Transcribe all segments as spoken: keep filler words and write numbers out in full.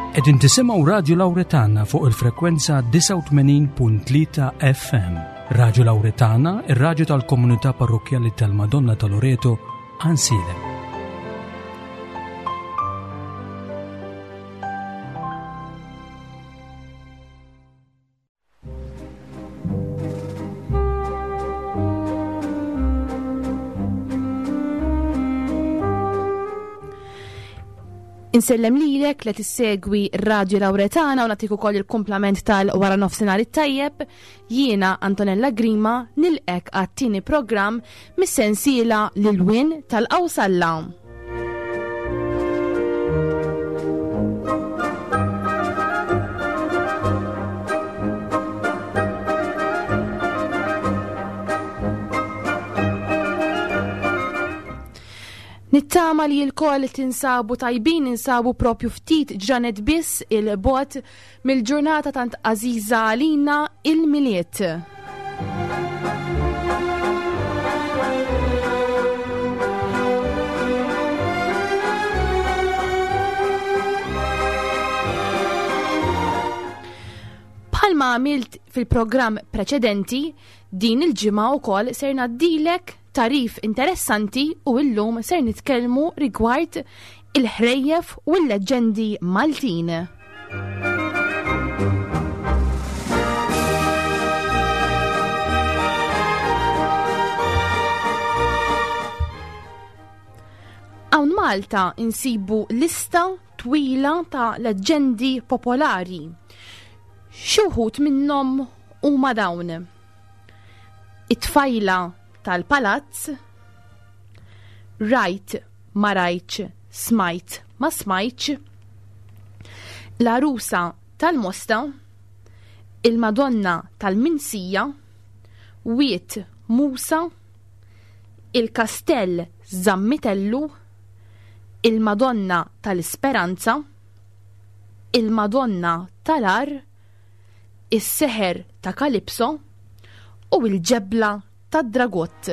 Qegħdin tisimgħu Radio Lauretana fuq il-frekwenza disgħa u tmenin punt tlieta F M. Radio Lauretana, ir-radju tal-Komunità Parrokkjali tal-Madonna ta' Loreto, Għajnsielem. Insellem lilek li tissegwi Radio Lauretana u nagħtik ukoll il-kumplament tal-wara nofsinhar it-tajjeb. Jiena Antonella Grima nilqek għat-tieni programm mis-sensiela Lil Wien tal-Qawsalla. Nittama li l-koll tinsabu tajbin, ninsabu propju ftit ġranet biss il-bot mill-ġurnata tant għażiża għalina il-Milied. Bħalma għamilt fil-programm preċedenti, din il-ġimgħa wkoll ser ngħaddilek tarif interessanti u illum ser nitkellmu rigward il-ħrejjef u l-leġendi Maltin. Hawn Malta insibu lista twila ta' leġendi popolari. Xi wħud minnhom huma dawn: it-tfajla tal-palazz, rajt ma rajtx, smajt ma smajtx, l-arusa tal-Mosta, il-Madonna tal-Minsija, Wied Musa, il-Kastell Zammitellu, il-Madonna tal-Isperanza, il-Madonna tal-Ar, is-Seħer ta' Kalipso u l-Ġebla tad-Dragott.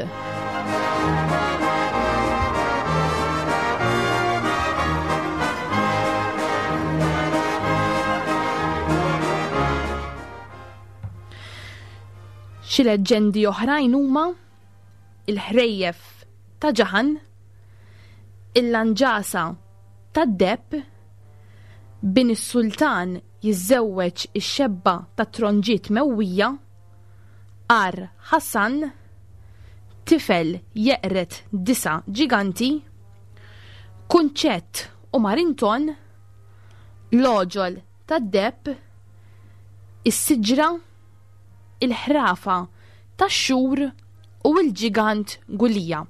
Xi leġġendi oħrajn huma il-ħrejjef ta' Ġaħan, il-lanġasa tad-deb, bin is-sultan jiżżewweġ ix-xebba ta' tronġiet mewwija, Ar Ħassan, tifel jeqret disa ġiganti, Kunċett u Marinton, l-oġol tad-deb, is-siġra, il-ħrafa tax-xhur u l-ġigant Gulija.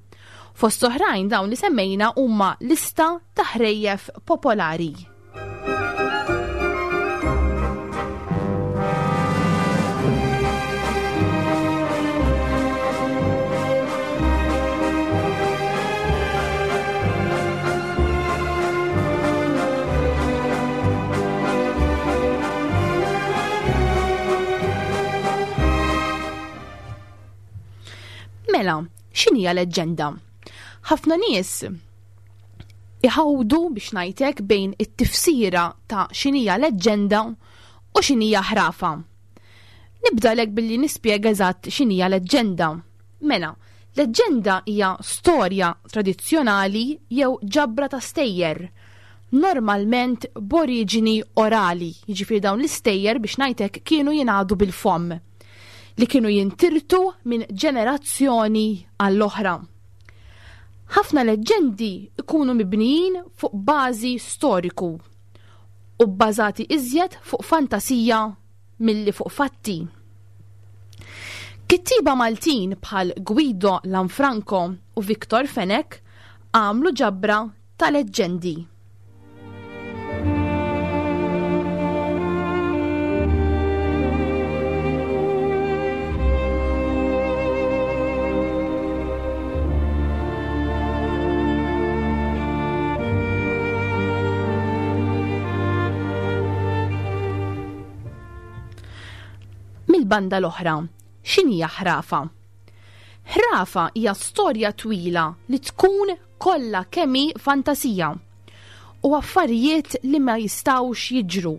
Fost oħrajn dawn li semmejna huma lista ta' ħrejjef popolari. Mela, x'inhija leġġenda? Ħafna nies iħawdu biex ngħidlek bejn it-tifsira ta' x'inhija leġġenda u x'inhija ħrafa. Nibdalek billi nispjega eżatt x'inhija leġġenda. Mela, leġġenda hija storja tradizzjonali jew ġabra ta' stejjer, normalment b'oriġini orali, jiġifieri dawn l-istejjer biex ngħidlek kienu jingħadu bil-fomm, li kienu jintirtu minn ġenerazzjoni għall-oħra. Ħafna leġġendi ikunu mibnijin fuq bażi storiku u bbażati iżjed fuq fantasija milli fuq fatti. Kittieba Maltin bħal Guido Lanfranco u Victor Fenech għamlu ġabra ta' leġġendi. Mill-banda l-oħra, x'inhija ħrafa? Ħrafa hija storja twila li tkun kollha kemm hi fantasija u affarijiet li ma jistgħux jiġru.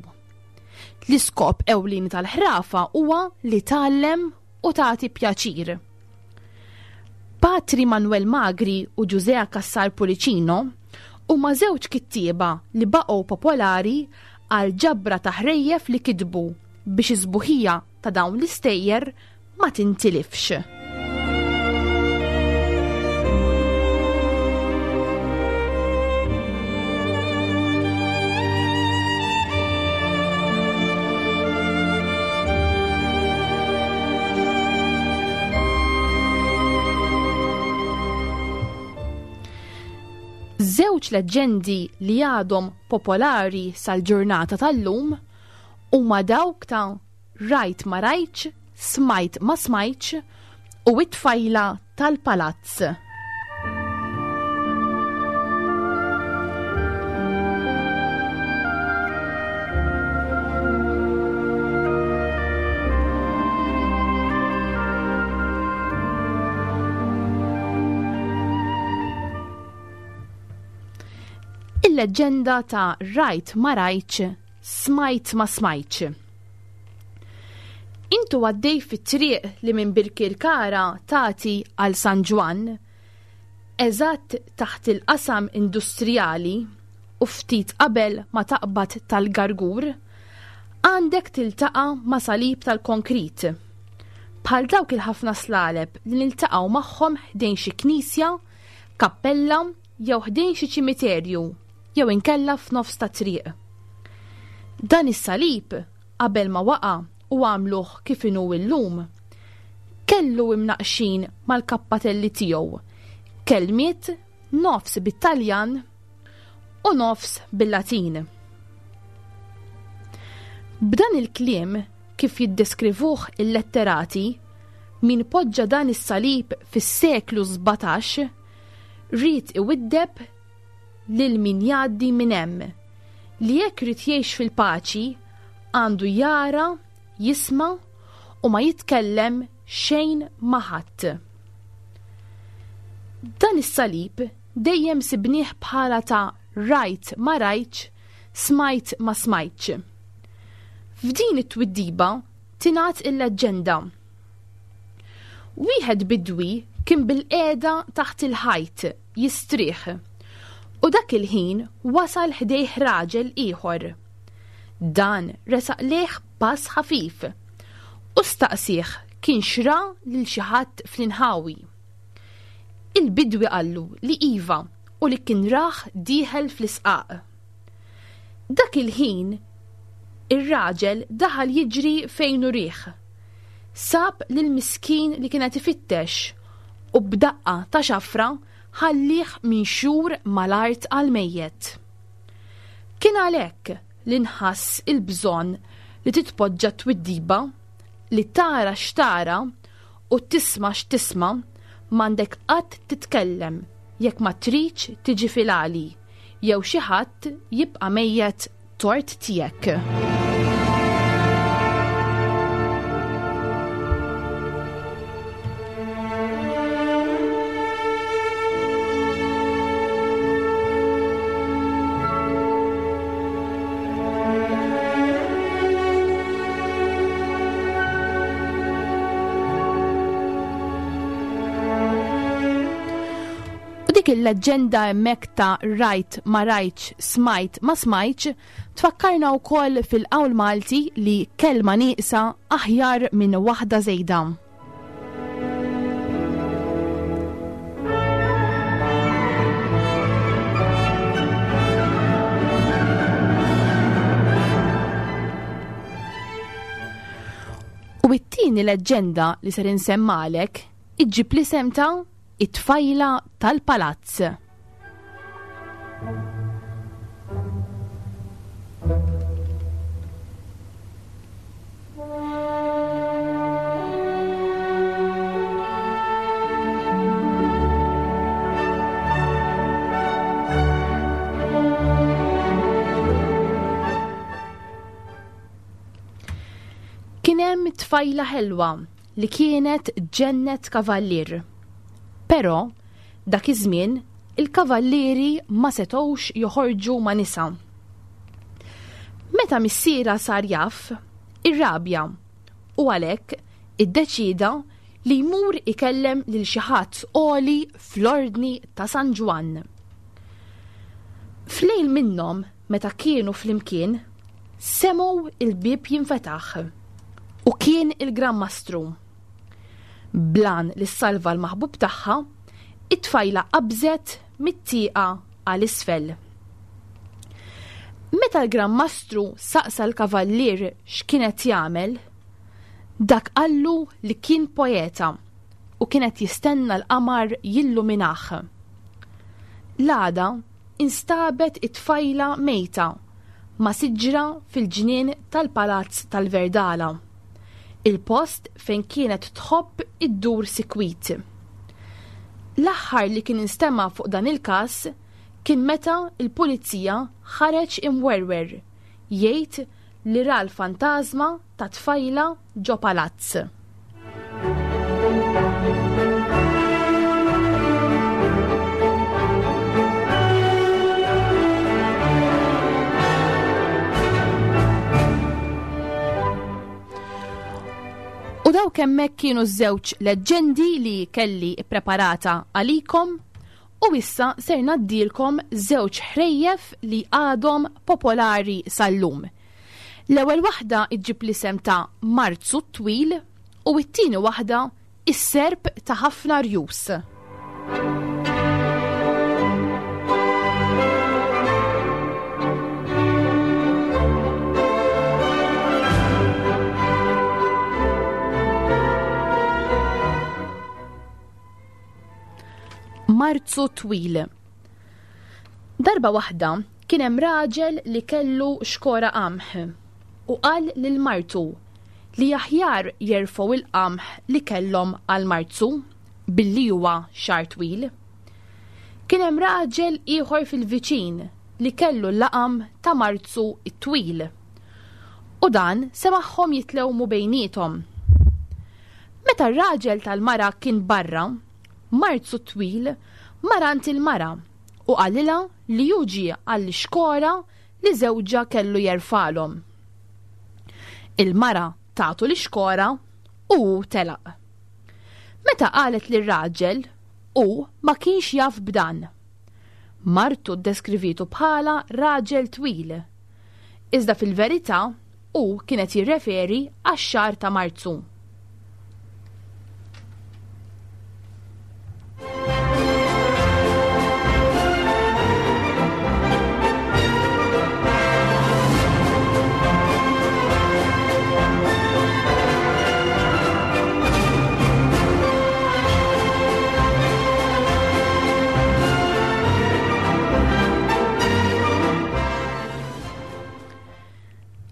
L-iskop ewlieni tal-ħrafa huwa li tgħallem u tagħti pjaċir. Patri Manuel Magri u Ġużè Cassar Pullicino huma żewġ kittieba li baqgħu popolari għal ġabra ta' ħrejjef li kitbu biex iż-sbuħija ta' dawn l-istejjer ma tintilifx. Żewġ leġġendi li għadhom popolari sal-ġurnata tal-lum huma dawk ta' rajt ma rajtx, smajt ma smajtx u it-tfajla tal-palazz. Il-leġġenda ta' rajt ma rajtx, smajt ma smajtx. Intu għaddej fit-triq li minn Birkirkara tagħti għal San Ġwann, eżatt taħt il-qasam industrijali u ftit qabel ma taqbad tal-Gargur, għandek tiltaqa' ma' salib tal-konkrit. Bħal dawk il-ħafna slaleb li niltaqgħu magħhom ħdejn xi knisja, kappella jew ħdejn xi ċimiterju jew inkella f'nofs ta' triq. Dan is-salib qabel ma waqa' u għamluh kif inhu llum, kellu imnaqxin mal-kappatelli tiegħu kelmiet nofs bit-Taljan u nofs bil-Latin. B'dan il-kliem kif jiddeskrivuh il-letterati, min poġġa dan is-salib fis-seklu sbatax ried iwiddeb lil min jgħaddi minn hemm li jekk irid jgħix fil-paċi għandu jara, jisma' u ma jitkellem xejn ma' ħadd. Dan is-salib dejjem sibnieh bħala ta' rajt ma rajtx, smajt ma smajtx. F'din it-twiddiba tingħad il-leġġenda. Wieħed bidwi kien bil-qiegħda taħt il-ħajt jistrieħ u dak il-ħin wasal ħdejh raġel ieħor. Dan resaq lejh pass ħafif u staqsih kien xra lil xi ħadd fl-inħawi. Il-bidwi qallu li iva u li kien raħ dieħel fl-isqaq. Dak il-ħin ir-raġel daħal jiġri fejn urih. Sab lil miskin li kienet ifittex u b'daqqa ta' xafra ħallih minn xhur mal-art għal mejjet. Kien għalhekk li nħass il-bżonn li titpoġġa twiddiba li tara x'tara u tisma' x'tisma' m'għandek qatt titkellem jekk ma tridx tiġi fil-għali jew xi ħadd jibqa' mejjet tort tiegħek. Dik il-leġġenda hemmhekk ta' rajt ma rajtx, smajt ma smajtx, tfakkarna wkoll fil-qawl Malti li kelma nieqsa aħjar minn waħda żejda. U it-tieni leġġenda li ser insemmalek iġġib l-isem ta' it-tfajla tal-palazz. Kien hemm tfajla ħelwa li kienet ġennet kavallier. Però dak iż-żmien il-kavallieri ma setgħux joħorġu ma' nisa. Meta missierha sar jaf, irrabja u għalhekk iddeċieda li jmur ikellem lil xi ħadd għoli fl-Ordni ta' San Ġwann. F'lejl minnhom meta kienu flimkien, semgħu il-bieb jinfetaħ u kien il-Gran Mastru. Blan li salva l-maħbub tagħha, it-tfajla qabżet mit-tieqa għal isfel. Meta l-Gran Mastru saqsa l-kavallier x'kienet jagħmel, dak qallu li kien poeta u kienet jistenna l-qamar jilluminah. L-għada instabet it-tfajla mejta ma' siġra fil-ġnien tal-Palazz tal-Verdala, il-post fejn kienet tħobb iddur sikwit. L-aħħar li kien instema' fuq dan il-każ kien meta l-pulizija ħareġ imwerwer jgħid li ra l-fantażma ta' tfajla ġo palazz. U dawk hemmhekk kienu ż-żewġ leġġendi li kelli ppreparata għalikom u issa ser ngħaddilkom żewġ ħrejjef li għadhom popolari sal-lum. L-ewwel waħda iġġib l-isem ta' Marzu t-Twil u t-tieni waħda is-serp ta' ħafna rjus. Marzu Twil. Darba waħda kien hemm raġel li kellu xkora qamħ u qal lil martu li aħjar jerfgħu il-qamħ li kellhom għal Marzu billi huwa xahar twil. Kien hemm raġel ieħor fil-viċin li kellu l-laqam ta' Marzu t-Twil u dan semagħhom jitlewmu bejniethom. Meta r-raġel tal-mara kien barra, Marzu t-Twil mar għand il-mara u qalilha li hu ġie għall-ixkora li żewġha kellu jerfalhom. Il-mara tagħtu l-ixkora u hu telaq. Meta qalet lir-raġel, hu ma kienx jaf b'dan. Martu ddeskrivitu bħala raġel twil. Iżda fil-verità hu kienet jirreferi għax-xahar ta' Marzu.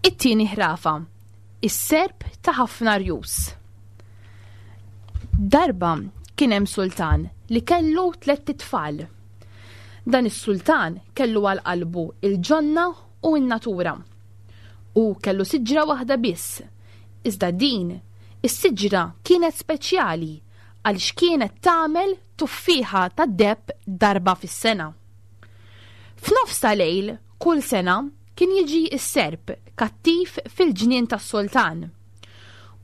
It-tieni ħrafa, is-serp ta' ħafna rjus. Darba kien hemm sultan li kellu tlett itfal. Dan is-sultan kellu għal qalbu il-ġonna u n-natura. U kellu siġra waħda biss. Iżda din is-siġra kienet speċjali għaliex kienet tagħmel tuffieħa tad-deheb darba fis-sena. F'nofs ta' lejl kull sena kien jiġi s-serp kattiv fil-ġnien tas-sultan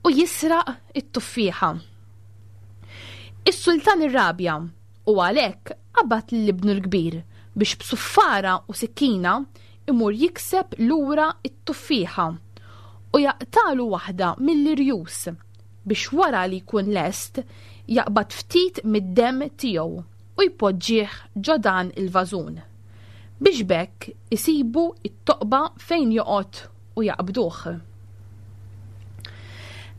u jisraq it-tuffieħa. Is-sultan irrabja u għalhekk qabad lil ibnu l-kbir biex b'suffara u sikkina imur jikseb lura t-tuffieħa u jaqtalu waħda mill-irjus biex wara li jkun lest jaqbad ftit mid-demm tiegħu u jpoġġih ġo dan il-vażun biex b'hekk isibu t-toqba fejn joqgħod u jaqbduh.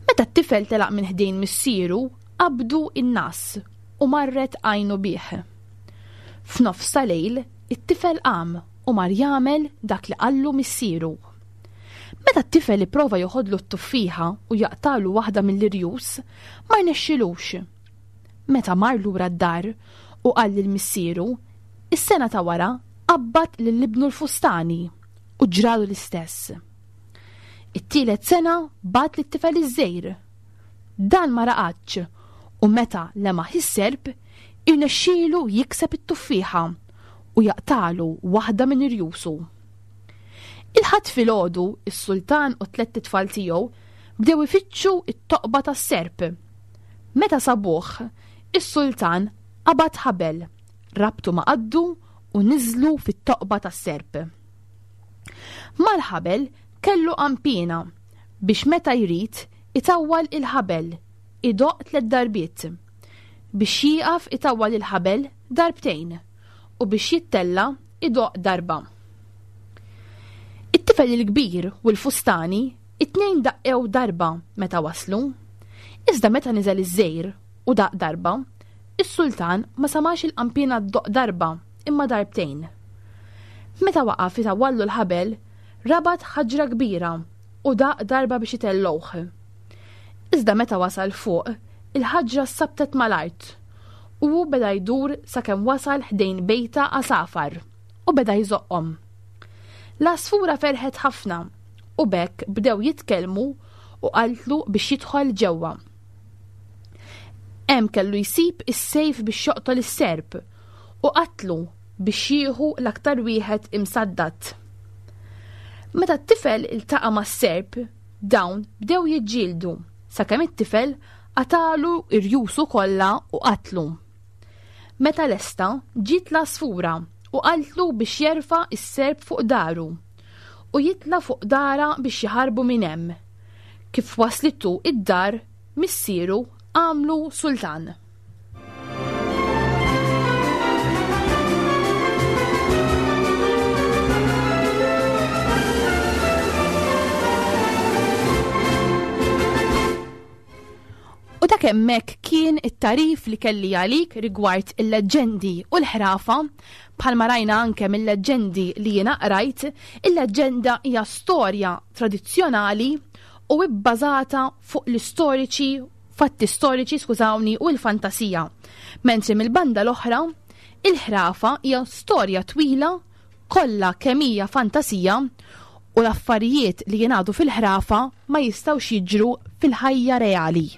Meta t-tifel telaq minn ħdejn missieru, qabdu n-nas u marret għajnu bih. F'nofs ta' lejl, it-tifel qam u mar jagħmel dak li qallu missieru. Meta t-tifel ipprova joħodlu t-tuffieħa u jaqtalu waħda mill-irjus, ma rnexxilux. Meta mar lura d-dar u qal lil missieru, is-sena ta' wara qabbad lil ibnu l-fustani u ġralu l-istess. It-tielet sena bagħat lit-tifel iż-żgħir. Dan ma raqadx u meta lemaħ is-serp Irnexxielu jikseb it-tuffieħa u jaqtalu waħda minn irjusu. Il-Ħadd filgħodu, is-sultan u tlett itfal tiegħu bdew ifittxu it-toqba tas-serp. Meta sabuh, is-sultan qabad ħabel, rabtu ma' qaddu u niżlu fit-toqba tas-serp. Mal-ħabel kellu qanpiena biex meta jrid itawwal il-ħabel, idoqq tliet darbiet. Biex jieqaf itawwal il-ħabel darbtejn u biex jittella idoqq darba. It-tifel il-kbir u l-fustani it-tnejn daqqew darba meta waslu. Iżda meta niżel iż-żgħir u daq darba, is-sultan ma samax il-qanpiena ddoqq darba imma darbtejn. Meta waqaf itawwallu l-ħabel, rabat ħaġra kbira u daq darba biex itellgħuh. Iżda meta wasal fuq, il-ħaġra sabtet mal-art u hu beda jdur sakemm wasal ħdejn bejta għasafar u beda jżoqqhom. L-għasfura ferħet ħafna u b'hekk bdew jitkellmu u qaltlu biex jidħol ġewwa. Hemm kellu jsib is-sejf biex joqtol is-serp u qatlu biex jieħu l-aktar wieħed imsaddat. Meta t-tifel iltaqa' mas-serp, dawn bdew jiġġieldu sakemm it-tifel qatalu irjusu kollha u qatlu. Meta lesta ġiet l-għasfura u qaltlu biex jerfa' is-serp fuq daru u jitla' fuq dara biex jaħarbu minn hemm. Kif waslitu id-dar, missieru għamlu sultan. U dak hemmhekk kien it-tarif li kelli għalik rigward il-leġġendi u l-ħrafa. Bħalma rajna anke mill-leġġendi li jiena qrajt, il-leġġenda hija storja tradizzjonali u bbażata fuq l-istoriċi, fatti storiċi, skużawni, u l-fantasija. Mentri mill-banda l-oħra, il-ħrafa hija storja twila kollha kemm hija fantasija u l-affarijiet li jingħadu fil-ħrafa ma jistgħux jiġru fil-ħajja reali.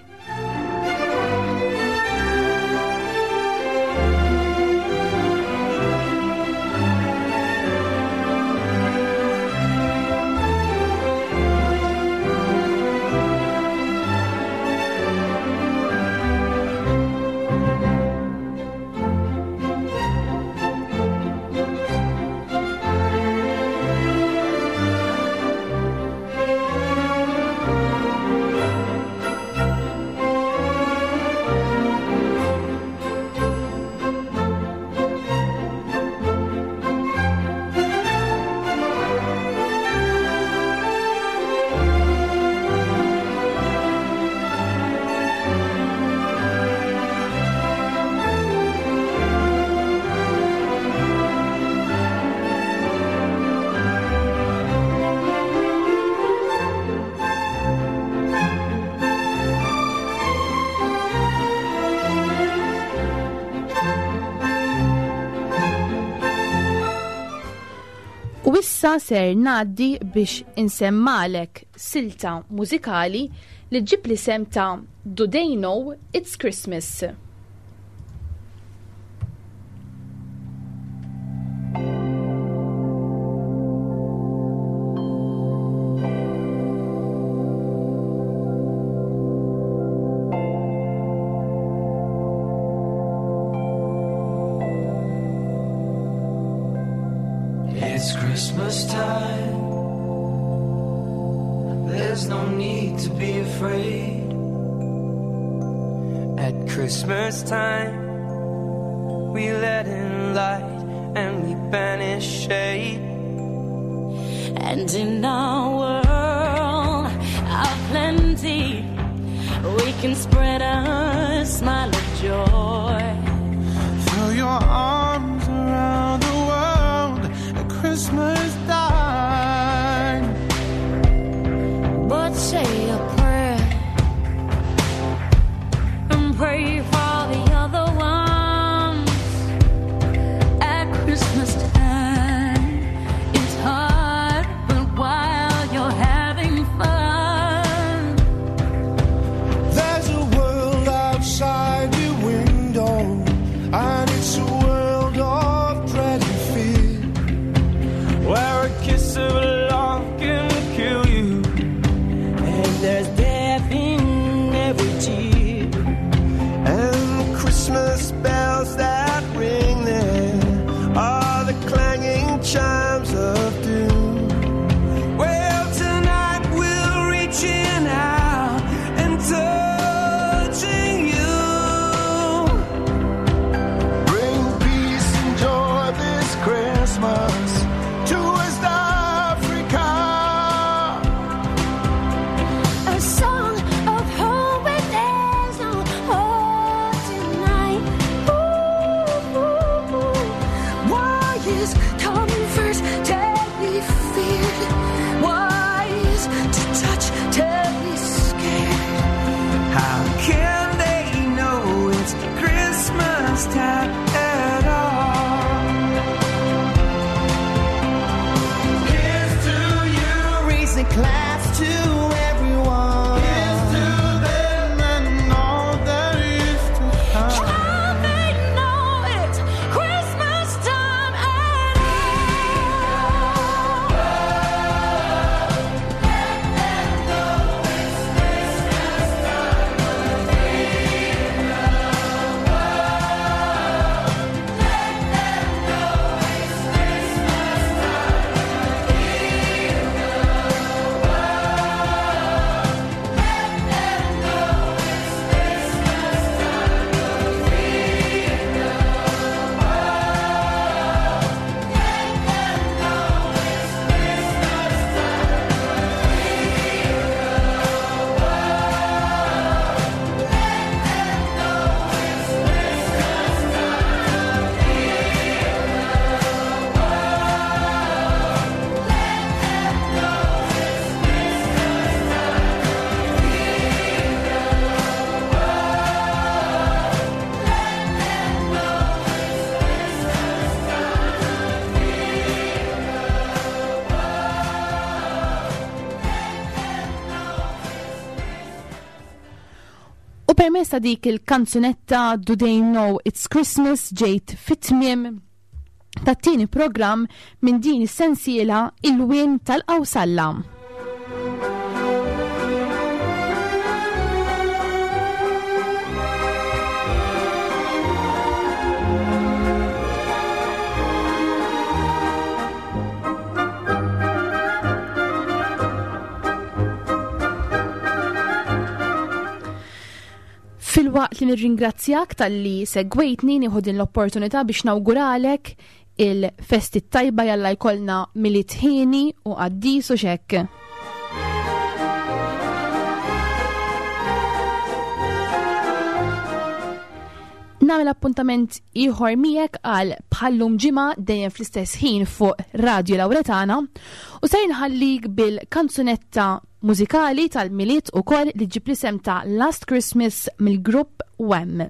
U issa ser ngħaddi biex insemmalek silta mużikali li ġib l-isem ta' Do They Know It's Christmas. It's Christmas time. There's no need to be afraid. At Christmas time, we let in light and we banish shade. And in our world of plenty, we can spread a smile of joy. Throw your arms around the world at Christmas time. But say a prayer and pray for the other ones. At Christmas time, it's hard, but while you're having fun, there's a world outside your window. Comfort Teddy feared, wise to touch Teddy scared. How can they know it's Christmas time at all? Here's to you, raise a glass to everyone. Here's to them and all that is to come. Can they know it's Christmas time at all? U permezz ta' dik il-kanzunetta Do They Know It's Christmas ġejt fit-tmiem tat-tieni programm minn din is-sensiela Il-Wien tal-Qawsalla. Filwaqt li nirringrazzjak tal-li segwejtni, nieħu din l-opportunità biex nawguralek il-festi tajba, jalla jkollna Milied ħieni u qaddis u xekk. Nagħmel appuntament ieħor miegħek għal bħallum ġimgħa dejjem fl-istess ħin fuq Radio Lauretana u se nħallik bil-kanzunetta mużikali tal-Milied ukoll li ġib l-isem ta' Last Christmas mill-grupp Wham.